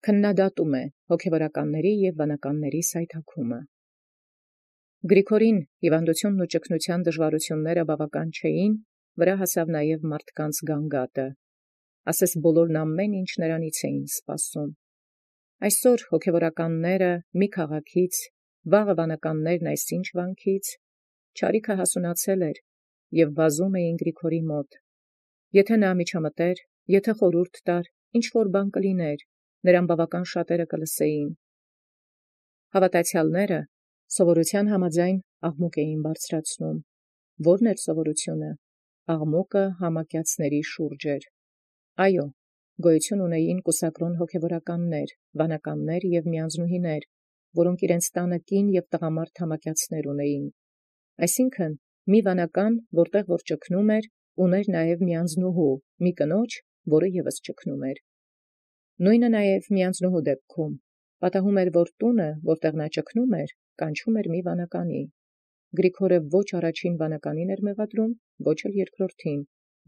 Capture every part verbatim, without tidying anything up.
քննադատում է հոգևորականների եւ վանականների սայթաքումը։ Գրիգորին հիվանդությունն ու ճգնության դժվարությունները բավական չէին, վրա հասավ նաև մարդկանց գանգատը։ Ասես բոլորն ամեն ինչ նրանից էին սպասում։ Այսօր հոգևորականները մի քաղաքից, վաղը վանականներն այսինչ վանքից, չարիքը հասունացել էր եւ վազում էին Գրիգորի մոտ։ Եթե նա միջամտեր, եթե խորհուրդ տար, ինչ որ բան կլիներ, նրան բավական շատերը կլսեին։ Հավատացյալները սովորության համաձայն աղմուկ էին բարձրացնում։ Որն էր սովորությունը։ Աղմուկը համակյացների շուրջ էր։ Այո, գոյություն ունեին կուսակրոն հոգևորականներ, վանականներ եւ միանձնուհիներ, որոնք իրենց տանը կին եւ տղամարդ համակյացներ ունեին։ Այսինքն, մի վանական, որտեղ որ ճգնում էր, ուներ նաեւ միանձնուհու, մի կնոջ, որը եւս ճգնում էր։ Նույնը նաեւ միանձնուհու դեպքում պատահում էր, որ տունը, որտեղ նա ճգնում էր, կանչում էր մի վանականի։ Գրիգորը ոչ առաջին վանականին էր մեղադրում, ոչ էլ երկրորդին,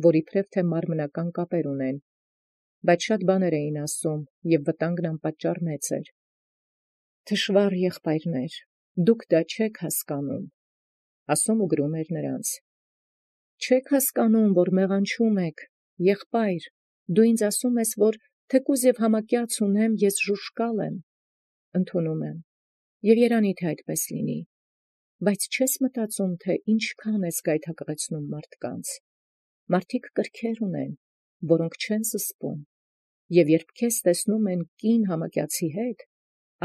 որ իբրև թե մարմնական կապեր ունեն, բայց շատ բաներ էին ասում, եւ վտանգն անպատճառ մեծ էր։ Թշվառ եղբայրներ, դուք դա չեք հասկանում, ասում ու գրում էր նրանց։ Չեք հասկանում, որ մեղանչում եք, եղբայր, դու ինձ ասում ես, որ թեկուզ եւ համակյաց ունեմ, ես ժուժկալ եմ, ընդունում եմ, եւ երանի թե այդպես լինի, բայց չես մտածում, թե ինչքան ես գայթակղեցնում մարդկանց։ Մարդիկ կրքեր ունեն, որոնք չեն զսպում, եւ երբ քեզ տեսնում են կին համակյացի հետ,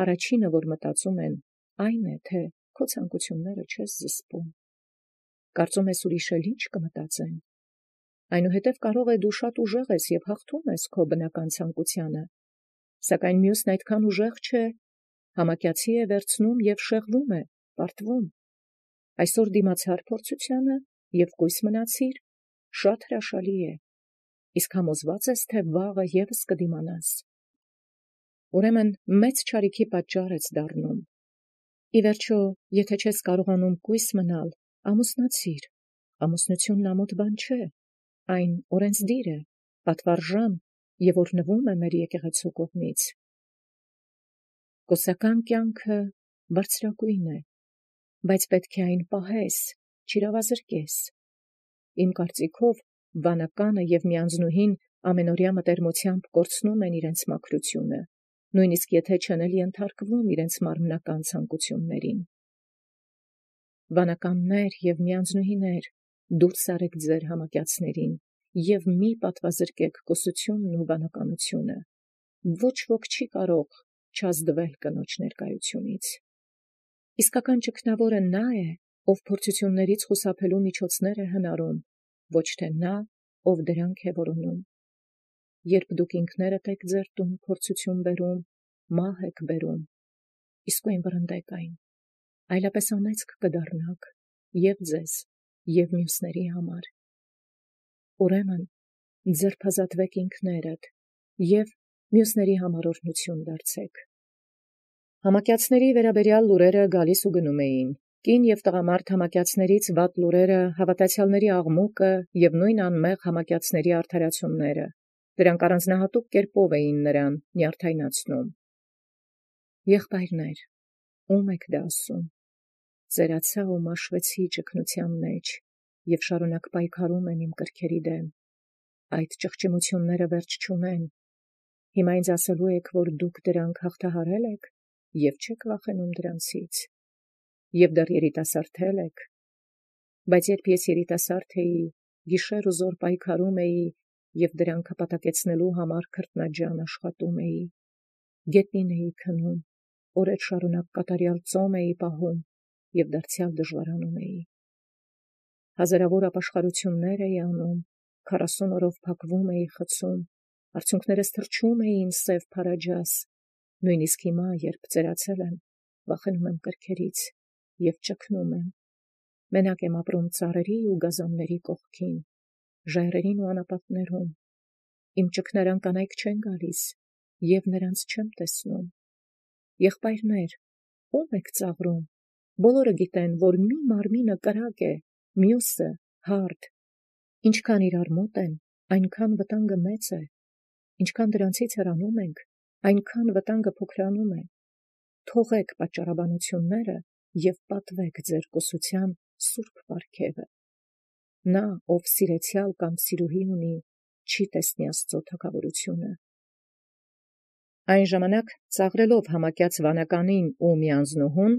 առաջինը, որ մտածում են, այն է, թե քո ցանկությունները չես զսպում։ Կարծում ես ուրիշ էլ ինչ կմտածեն։ Այնուհետև կարող է դու շատ ուժեղ ես եւ հաղթում ես քո բնական ցանկությանը, սակայն մյուսն այդքան ուժեղ չէ, համակյացի է վերցնում եւ շեղվում է, պարտվում։ Այսօր դիմացար փորձությանը եւ կույս մնացիր, շատ հրաշալի է, իսկ համոզված ես, թե վաղը եւս կդիմանաս։ Ուրեմն մեծ չարիքի պատճառ ես դառնում։ Ի վերջո, եթե չես կարողանում կույս մնալ, ամուսնացիր, ամուսնությունն ամոթ բան չէ, այն օրենսդիր է, պատվարժան եւ օրհնվում է մեր եկեղեցու կողմից։ Կուսական կյանքը բարձրագույն է, բայց պետք է այն պահես, չիրավազրկես։ Իմ կարծիքով, վանականը եւ միանձնուհին ամենօրյա մտերմությամբ կորցնում են իրենց մաքրությունը, նույնիսկ եթե չեն էլ ենթարկվում իրենց մարմնական ցանկություններին։ Վանականներ եւ միանձնուհիներ, դուրս արեք ձեր համակյացներին եւ մի պատվազրկեք կուսությունն ու վանականությունը։ Ոչ ոք չի կարող չազդվել կնոջ ներկայությունից։ Իսկական ճգնավորը նա է, ով փորձություններից խուսափելու միջոցներ է հնարում, ոչ թե նա, ով դրանք է որոնում։ Երբ դուք ինքներդ եք ձեր տուն փորձություն բերում, մահ եք բերում, իսկույն վռնդեք այն, այլապես անեծք կդառնաք եւ ձեզ, եւ մյուսների համար։ Ուրեմն ձերբազատվեք ինքներդ եւ մյուսների համար օրհնություն դարձեք։ Համակյացների վերաբերյալ լուրերը գալիս ու գնում էին։ Կին եւ տղամարդ համակյացներից վատ լուրերը, հավատացյալների աղմուկը եւ նույն անմեղ համակյացների արդարացումները, դրանք առանձնահատուկ կերպով էին նրան նյարդայնացնում։ Եղբայրներ, ում եք դա ասում։ Ծերացա ու մաշվեցի ճգնության մեջ եւ շարունակ պայքարում եմ իմ կրքերի դեմ։ Այդ ճղճիմությունները վերջ չունեն։ Հիմա ինձ ասելու եք, որ դուք դրանք հաղթահարել եք եւ չեք վախենում դրանցից, եւ դեռ երիտասարդել եք, բայց երբ ես երիտասարդ էի, գիշեր ու զօր պայքարում էի եւ դրանք հպատակեցնելու համար քրտնաջան աշխատում էի, գետնին էի քնում, օրեր շարունակ կատարյալ ծոմ էի պահում եւ դարձյալ դժվարանում էի, հազարավոր ապաշխարություններ էի անում, քառասուն օրով փակվում էի խցում, արցունքներս թրջում էին սև փարաջաս, նույնիսկ հիմա, երբ ծերացել եմ, վախենում եմ կրքերից եւ ճգնում եմ։ Մենակ եմ ապրում ծառերի ու գազանների կողքին, ժայռերին ու անապատներում։ Իմ ճգնարան կանայք չեն գալիս եւ նրանց չեմ տեսնում։ Եղբայրներ, ո՞ւմ եք ծաղրում։ Բոլորը գիտեն, որ մի մարմինը կրակ է, մյուսը հարթ։ Ինչքան իրար մոտ են, այնքան վտանգը մեծ է։ Ինչքան դրանցից հեռանում ենք, այնքան վտանգը փոքրանում է, թողեք պատճառաբանությունները և պատվեք ձեր կուսության սուրբ պարգևը։ Նա, ով սիրեցյալ կամ սիրուհի ունի, չի տեսնի Աստծո թագավորությունը։ Այն ժամանակ ծաղրելով համակյաց վանականին ու միանձնուհուն,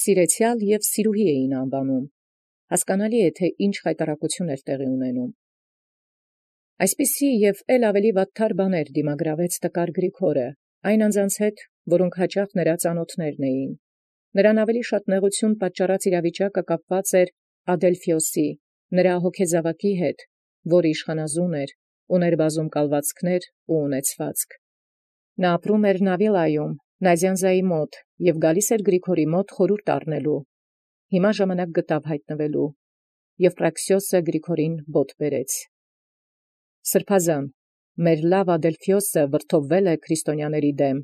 սիրեցյալ և սիրուհի էին անվանում, հասկանալի է, թե ինչ խայտառակություն էր տեղի ունենում։ Այսպիսի և էլ ավելի վատթար բաներ դիմագրավեց տկար Գրիգորը, այն անձանց հետ, որոնք հաճախ նրա ծանոթներն էին։ Նրան ավելի շատ նեղություն պատճառած իրավիճակը կապված էր Ադելֆիոսի, նրա հոգեզավակի հետ, որ իշխանազուն էր, ուներ բազում կալվածքներ ու ունեցվածք։ Նա ապրում էր Նավիլայում, Նազյանզայի մոտ, և գալիս էր Գրիգորի մոտ խորհուրդ առնելու։ Հիմա ժամանակ գտավ հայտնվելու, և Պրաքսիոսը Գրիգորին բոտ բերեց. «Սրբազան, մեր լավ Ադելֆիոսը վրդովվել է քրիստոնյաների դեմ,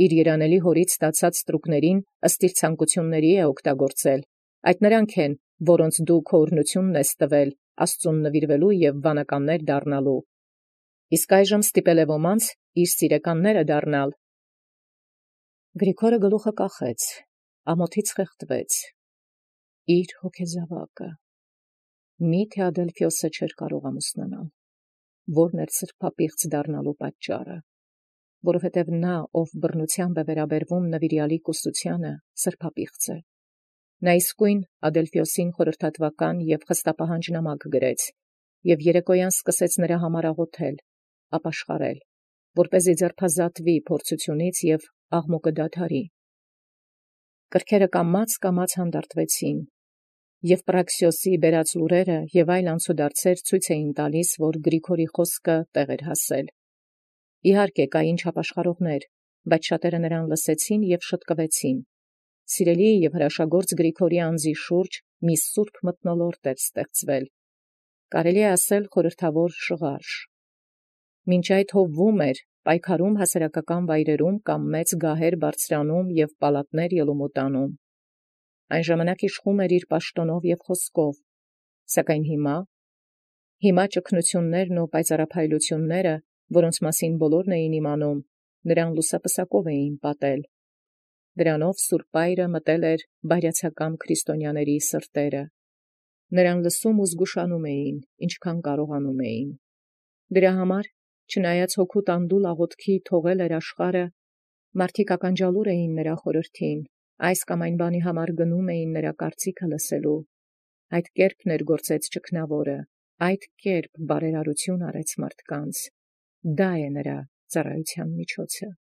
իր երանելի հորից ստացած ստրուկներին ըստ իր ցանկությունների է օգտագործել։ Այդ նրանք են, որոնց դու քո օրհնությունն ես տվել Աստծուն նվիրվելու և վանականներ դառնալու։ Իսկ այժմ ստիպել է ոմանց իր սիրեկանները դառնալ»։ Գրիգորը գլուխը կախեց, ամոթից խեղդվեց։ Իր հոգեզավակը։ Մի՞թե Ադելֆիոսը չէր կարող ամուսնանալ, որն էր սրբապիղծ դառնալու պատճառը, որովհետև նա, ով բռնությամբ է վերաբերվում նվիրյալի կուսությանը, սրբապիղծ է։ Նա իսկույն Ադելֆիոսին խորհրդատվական և խստապահանջ նամակ գրեց, և երեկոյան սկսեց նրա համար աղոթել, ապաշխարել, որպեսզի ձերբազատվի փորձությունից և աղմուկը դադարի։ Կրքերը կամաց-կամաց հանդարտվեցին, և Պրաքսիոսի բերած լուրերը և այլ անցուդարձեր ցույց էին տալիս, որ Գրիգորի խոսքը տեղ էր հասել։ Իհարկե, կային չապաշխարողներ, բայց շատերը նրան լսեցին և շտկվեցին։ Սիրելի և հրաշագործ Գրիգորի անձի շուրջ մի սուրբ մթնոլորտ էր ստեղծվել, կարելի է ասել խորհրդավոր շղարշ։ Մինչ այդ հովվում էր, պայքարում հասարակական վայրերում կամ մեծ գահեր բարձրանում և պալատներ ելումուտանում։ Այն ժամանակ իշխում էր իր պաշտոնով և խոսքով, սակայն հիմա, հիմա ճգնություններն ու պայծառափայլությունները, որոնց մասին բոլորն էին իմանում, նրան լուսապսակով էին պատել։ Դրանով Սուրբ Այրը մտել էր բայրացակամ քրիստոնյաների սրտերը։ Նրան լսում ու զգուշանում էին, ինչքան կարողանում էին։ Դրա համար, չնայած հոգու տանդուլ աղոթքի թողել էր աշխարհը, մարդիկ ականջալուր էին նրա խորհրդին, այս կամ այն բանի համար գնում էին նրա կարծիքը լսելու։ Այդ կերպ ներգործեց ճգնավորը, այդ կերպ բարերարություն արեց մարդկանց։ Դա է նրա ծառայության միջոցը։